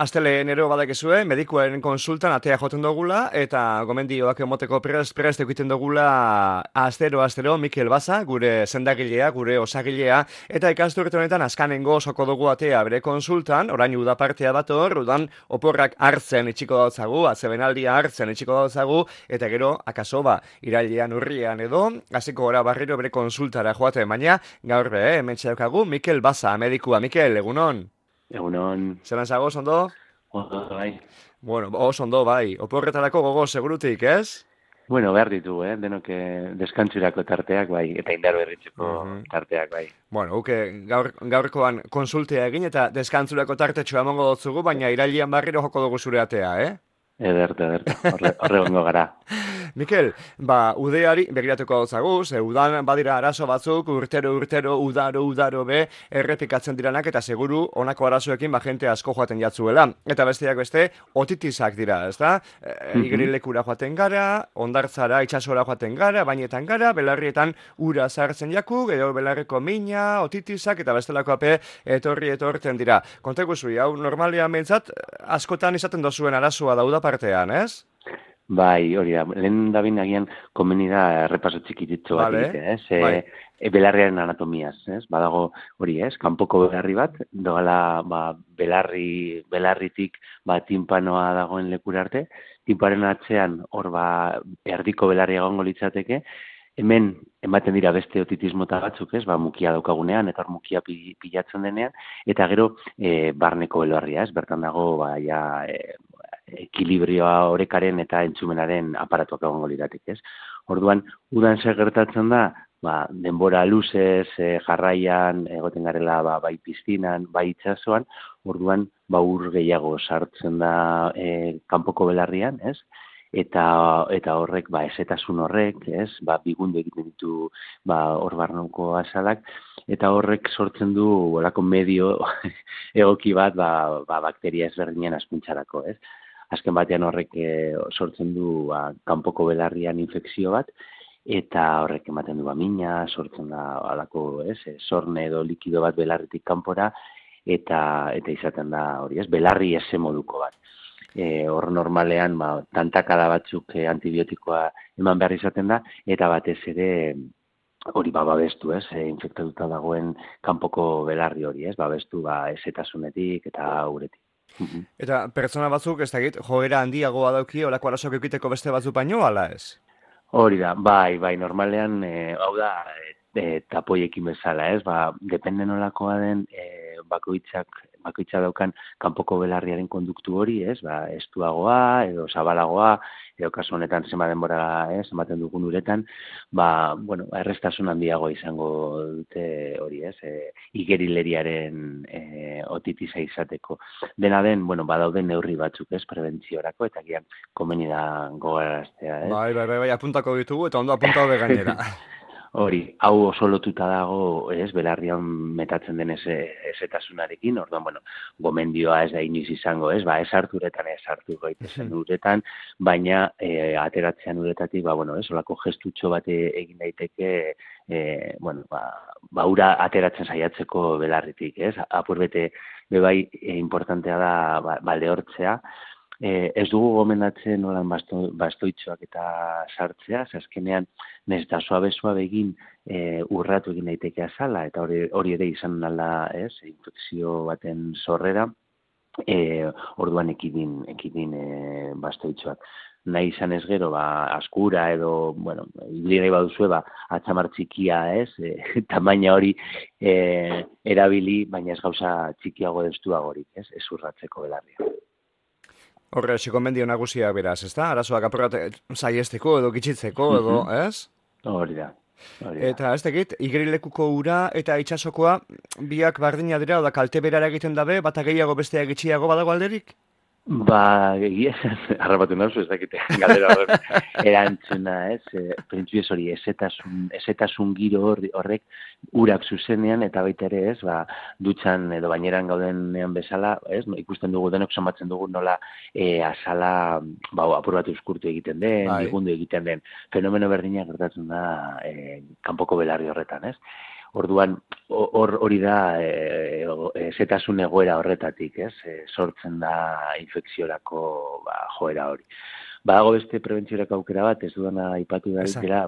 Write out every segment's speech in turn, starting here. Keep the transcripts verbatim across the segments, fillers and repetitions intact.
Astelenero badakizue, medikuaren konsultan atea joten dugula, eta gomendioak emoteko prest, prest egiten dugula astero, astero, Mikel Baza, gure sendagilea, gure osagilea, eta ikasturte honetan askanengo soko dugu atea bere konsultan, orain uda partea dator, udan oporrak hartzen itxiko dautzagu, atzebenaldia hartzen itxiko dautzagu, eta gero, akaso ba, irailean urrian edo, hasiko gora barriro bere konsultara joaten, baina gaur be, eh, hemen txaukagu, Mikel Baza, medikua. Mikel, egunon? Egunon, Zeran zago, ondo? ondo bai. Bueno, oso ondo bai. Oporretarako gogo segurutik, ez? Bueno, behar ditu, eh? Denok eh, deskantzurako tarteak bai, eta indar berritzeko Mhm. tarteak bai. Bueno, uke gaur, gaurkoan konsultea egin eta deskantzurako tartetxoa emango dotzugu, baina irailean barriro joko dugu zure atea, eh? Ederto, ederto, horre, horre gongo gara. Mikel, ba, udeari begiratuko dautzagu, ze udan badira arazo batzuk, urtero, urtero, udaro, udaro be, errepikatzen diranak, eta seguru honako arazoekin ba jente asko joaten jatzuela. Eta besteak beste, otitizak dira, ezta? E, Mhm. igerilekura joaten gara, ondartzara, itsasora joaten gara, bainetan gara, belarrietan ura sartzen jaku, gero belarriko mina, otitizak, eta bestelako ape etorri etorten dira. Kontegu zui, hau normalean behintzat, askotan izaten dozuen arazoa dauda partean, ez? Bai, hori da, lehen da bin agian komeni da errepaso txikititxo bat Vale, egitea, ez? E, bai. e, belarriaren anatomiaz, ez? Badago hori, ez? Kanpoko belarri bat, doala ba, belarri, belarritik ba, timpanoa dagoen lekura arte, timparen atzean hor ba, erdiko belarri egongo litzateke, hemen ematen dira beste otitis mota batzuk, ez? Ba, mukia daukagunean, eta hor mukia pi- pilatzen denean, eta gero e, barneko belarria, ez? Bertan dago, ba, ja, e, ekilibrioa orekaren eta entzumenaren aparatuak egongo liratik, ez? Orduan, udan zer gertatzen da, ba, denbora luzez, e, jarraian, egoten garela ba, bai piztinan, bai itsasoan, orduan, ba, ur gehiago sartzen da e, kanpoko belarrian, ez? Eta, eta horrek, ba, esetasun horrek, ez? Ba, bigundu egiten ditu, ba, hor barnoko azalak, eta horrek sortzen du olako medio egoki bat, ba, ba, bakteria ezberdinen askuntzarako, ez? Azken batean horrek e, sortzen du ba, kanpoko belarrian infekzio bat, eta horrek ematen du ba, mina, sortzen da alako, ez, e, sorne edo likido bat belarritik kanpora, eta eta izaten da hori, ez, belarri ese moduko bat. E, hor normalean, ba, tantakada batzuk e, antibiotikoa eman behar izaten da, eta batez ere hori ba, babestu, ez, e, infektatuta dagoen kanpoko belarri hori, ez, babestu ba, esetasunetik eta uretik. Mhm. Eta pertsona batzuk, ez dakit, joera handiagoa dauki, olako arazoak eukiteko beste batzuk baino, ala ez? Hori da, bai, bai, normalean, e, hau da, e, tapoiekin bezala, ez, ba, depende nolakoa den, e, bakoitzak, bakoitza daukan kanpoko belarriaren konduktu hori, ez, ba, estuagoa, edo zabalagoa, edo kasu honetan zema denbora, ez, ematen dugun uretan, ba, bueno, errestasun handiagoa izango dute hori, ez, e, igerileriaren e, otitisa izateko. Dena den, bueno, badaude neurri batzuk, ez, prebentziorako, eta gian komeni da gogaraztea, ez. Bai, bai, bai, bai, apuntako ditugu, eta ondo apuntatu be gainera. Hori, hau oso lotuta dago, ez, belarrian metatzen den eze, ezetasunarekin, orduan, bueno, gomendioa ez da inoiz izango, ez, ba, ez hartu uretan, ez hartu gaitezen uretan, baina e, ateratzean uretatik, ba, bueno, ez, olako gestutxo bat egin daiteke, e, bueno, ba, ba, ura ateratzen saiatzeko belarritik, ez, apur bete, bebai, e, importantea da, ba, balde hortzea, Eh, ez dugu gomendatzen nolan basto, bastoitxoak eta sartzea, azkenean nez da suabe-suabe egin e, urratu egin daiteke azala, eta hori, hori ere izan nala, ez, infekzio baten sorrera, e, orduan ekidin, ekidin e, bastoitxoak. Nahi izan ez gero, ba, askura edo, bueno, ibligai baduzue, ba, atxamar txikia, ez, e, tamaina hori e, erabili, baina ez gauza txikiago destuagorik, ez, ez urratzeko belarria. Horre, txikonbendio nagusiak beraz, ezta? Arazoak apurrat saiesteko edo gitxitzeko edo, ez? Hori da, hori da. Eta ez dakit, igerilekuko ura eta itsasokoa biak bardina dira, oda kalte berara egiten dabe, bata gehiago bestea gitxiago badago alderik? Ba, egia esan, harrapatu nauzu, ez dakite, galdera horren erantzuna, ez, e, printzipioz hori, ezetasun, ezetasun giro horri, horrek urak zuzenean, eta baita ere, ez, ba, dutxan edo baineran gaudenean bezala, ez, no, ikusten dugu denok somatzen dugu nola e, azala, ba, apur bat euskurtu egiten den, Bai. bigundu egiten den, fenomeno berdina gertatzen da e, kanpoko belarri horretan, ez. Orduan, hor hori da e, e, zetasun egoera horretatik, ez? E, sortzen da infekziorako ba, joera hori. Badago beste prebentziorako aukera bat, ez dudana aipatu da dira,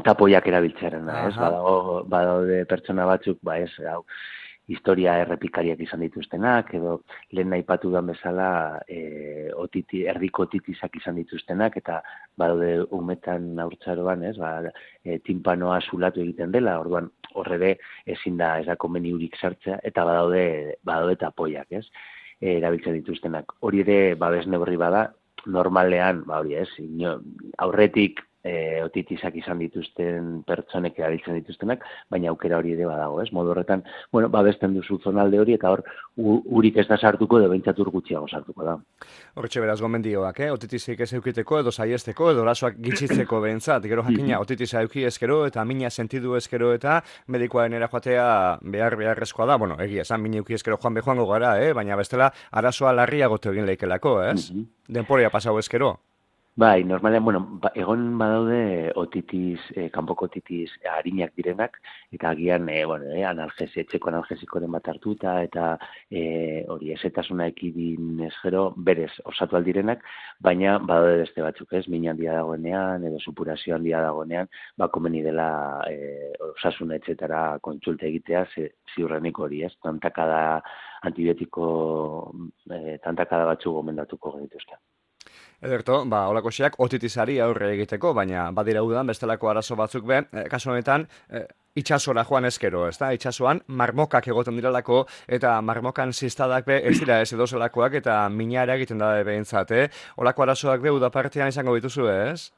tapoiak erabiltzearena, ez? Badago, badaude pertsona batzuk, ba ez, hau, historia errepikariak izan dituztenak, edo lehen aipatu dan bezala e, otiti, erdiko otitizak izan dituztenak, eta badaude umetan haurtzaroan, ez, ba, e, timpanoa zulatu egiten dela, orduan horre ezin da ez da konbeniurik sartzea, eta badaude, badaude tapoiak, ez, e, erabiltzen dituztenak. Hori ere, babes neurri bada, normalean, ba hori ez, ino, aurretik, E, otitizak izan dituzten pertsonek erabiltzen dituztenak, baina aukera hori ere badago, ez? Modu horretan, bueno, babesten duzu zonalde hori, eta hor, urik ez da sartuko, edo behintzat ur gutxiago sartuko da. Horretxe beraz gomendioak, eh? Otitizik ez eukiteko, edo saiesteko, edo orasoak gitxitzeko behintzat, gero jakina, otitiza euki ezkero, eta mina sentidu ezkero, eta medikoaren erajoatea behar beharrezkoa da, bueno, egia esan, mina euki ezkero joan behoango gara, eh? Baina bestela, arazoa larriagotu egin leikelako, ez? Mm -hmm. Denporia pasau ezkero. Bai, normalean, bueno, ba, egon badaude otitiz, eh, kanpoko otitiz harinak direnak, eta agian, eh, bueno, eh, analgesi, etxeko analgesikoren bat hartuta, eta eh, hori esetasuna ekidin ez gero, berez osatu aldirenak, baina badaude beste batzuk, ez, min handia dagoenean, edo supurazio handia dagoenean, ba, komeni dela eh, osasun etxetara kontsulta egitea, ziurrenik hori, ez, tantakada antibiotiko, eh, tantakada batzuk gomendatuko genituzte. Ederto, ba, holako xeak otitizari aurre egiteko, baina badira udan bestelako arazo batzuk be, e, kasu honetan, e, itxasora joan ezkero, ez da? Itxasuan marmokak egoten diralako, eta marmokan ziztadak be ez dira ez edozelakoak, eta minara egiten da behintzat, eh? Holako arazoak be udapartean izango dituzu, ez?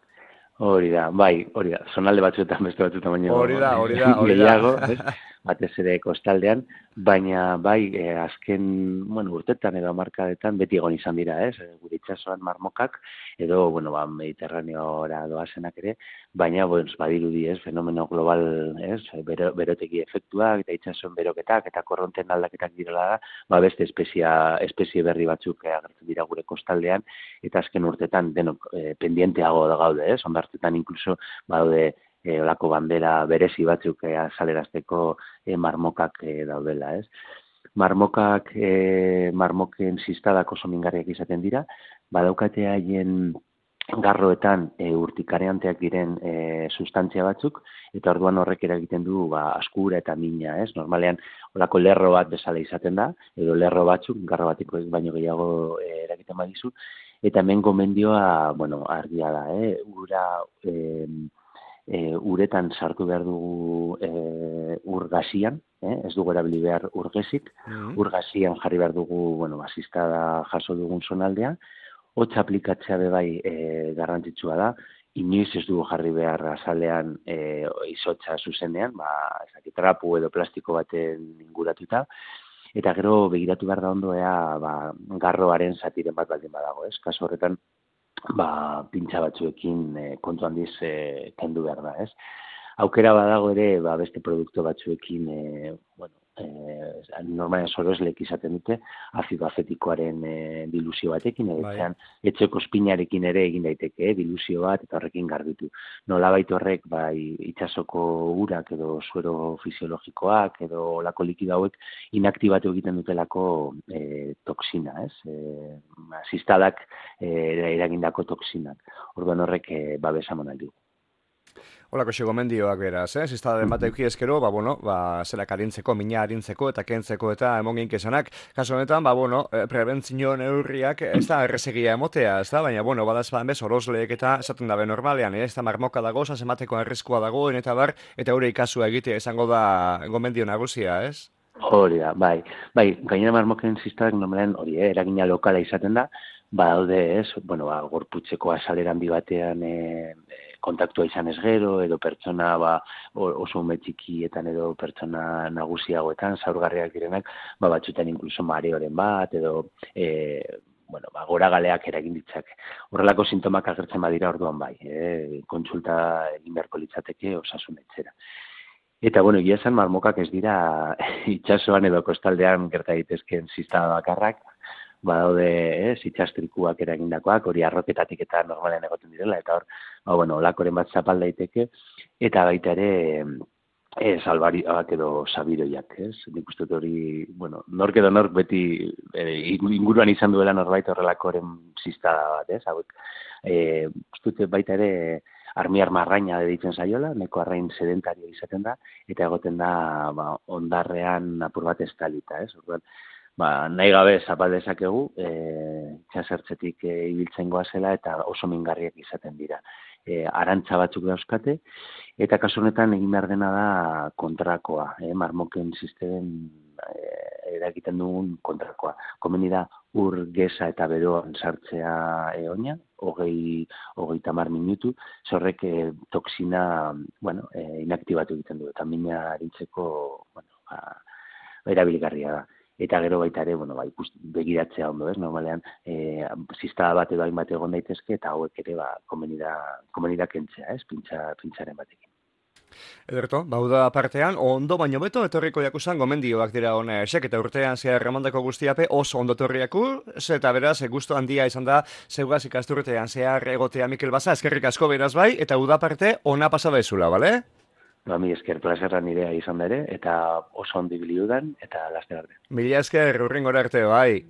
Hori da, bai, hori da, zonalde batzuetan beste batzuetan baino hori da, hori da, hori da. gehiago, batez ere kostaldean, baina bai, eh, azken, bueno, urtetan edo hamarkadetan beti egon izan dira, ez? Gure itsasoan marmokak, edo, bueno, ba, Mediterraneora doazenak ere, baina, bueno, badirudi, ez, fenomeno global, ez, bero, beroteki efektuak, eta itsasoen beroketak, eta korronten aldaketak direla da, ba, beste espezia, espezie berri batzuk agertzen dira gure kostaldean, eta azken urtetan denok eh, pendienteago da gaude, ez? Ondartetan inkluso, badaude, E, olako bandera berezi batzuk e, azalerazteko e, marmokak e, daudela, ez? Marmokak, e, marmoken ziztadak oso mingarriak izaten dira, badaukate haien garroetan e, urtikareanteak diren e, sustantzia batzuk, eta orduan horrek eragiten du ba, askura eta mina, ez? Normalean, olako lerro bat bezala izaten da, edo lerro batzuk, garro batiko baino gehiago e, eragiten badizu, eta hemen gomendioa, bueno, argia da, eh? Ura... E, E, uretan sartu behar dugu e, urgasian, eh? Ez dugu erabili behar urgesik, mm-hmm. Urgasian jarri behar dugu, bueno, basistada jaso dugun zonaldea, hotz aplikatzea bebai e, garrantzitsua da, inoiz ez dugu jarri behar azalean e, izotza zuzenean, ba, ezaki, trapu edo plastiko baten inguratuta, eta gero begiratu behar da ondo ea ba, garroaren zatiren bat baldin badago, ez? Kasu horretan, ba, pintxa batzuekin e, kontu handiz e, kendu behar da, ez? Aukera badago ere, ba, beste produktu batzuekin, e, bueno, e, normalen soroslek izaten dute, azido afetikoaren e, dilusio batekin, edo etxeko espinarekin ere egin daiteke, e, dilusio bat, eta horrekin garbitu. Nolabait horrek, bai, itxasoko urak edo suero fisiologikoak, edo olako likido hauek inaktibatu egiten dutelako e, toksina, ez? E, ziztadak e, eragindako toksinak. Orduan horrek e, babesa eman aldi. Holako xegomendioak beraz, eh? Ziztadaren bat euki ezkero, ba, bueno, ba, zerak arintzeko, mina arintzeko, eta kentzeko, eta emon ginkesanak. Kaso honetan, ba, bueno, prebentzio neurriak ez da errezegia emotea, ez da? Baina, bueno, badaz baden bez, orozleek eta esaten dabe normalean, eh? Ez da marmoka dago, zazemateko arriskua dagoen, eta bar, eta hori ikasua egitea izango da gomendio nagusia, ez? Hori da, bai. Bai, gainera marmoken ziztadak normalean hori, eh? Eragina lokala izaten da, ba, daude, ez? Bueno, ba, gorputzeko azalera handi batean eh, kontaktua izan ez gero, edo pertsona ba, oso ume txikietan edo pertsona nagusiagoetan, zaurgarriak direnak, ba, batzutan inkluso mareoren bat, edo e, bueno, ba, gora galeak eragin ditzak. Horrelako sintomak agertzen badira orduan bai, e, kontsulta egin beharko litzateke osasun etxera. Eta, bueno, egia esan marmokak ez dira itsasoan edo kostaldean gerta daitezkeen ziztada bakarrak, badaude, ez, itxastrikuak eragindakoak, hori arroketatik eta normalean egoten direla, eta hor, ba, bueno, olakoren bat zapal daiteke, eta baita ere, Ez, albarioak edo sabiroiak, ez? Nik uste dut hori, bueno, nork edo nork beti eh, inguruan izan duela norbait horrelakoren ziztada bat, ez? Hauek, eh, uste dut baita ere armiar marraina deitzen zaiola, neko arrain sedentario izaten da, eta egoten da ba, ondarrean apur bat estalita, ez? Orduan, ba, nahi gabe zapal dezakegu, eh, txasertzetik eh, ibiltzen goazela eta oso mingarriak izaten dira. E, arantza batzuk dauzkate, eta kasu honetan egin behar dena da kontrakoa, eh? Marmoken sistemen eh, eragiten dugun kontrakoa. Komeni da ur, geza eta beroan sartzea eoina, hogei, hogei tamar minutu, zorrek eh, toksina, bueno, eh, inaktibatu egiten du, eta mina arintzeko, bueno, ba, erabilgarria da. Eta gero baita ere, bueno, ba, ikust, begiratzea ondo, ez? Normalean, e, ziztada bat edo hainbat egon daitezke, eta hauek ere, ba, komeni da, komeni da kentzea, ez? Pintza, pintzaren batekin. Ederto, bauda partean, ondo baino beto, etorriko jakusan gomendioak dira hona esek, eta urtean zehar remandako guztiape oso ondo torriaku, eta beraz, gustu handia izan da, zeugaz ikasturtean zehar egotea Mikel Baza, eskerrik asko beraz bai, eta uda parte ona pasa bezula, bale? Ba, mi esker plazerra nirea izan da ere, eta oso ondi biliudan, eta laster arte. Mila esker, urringora arte, bai.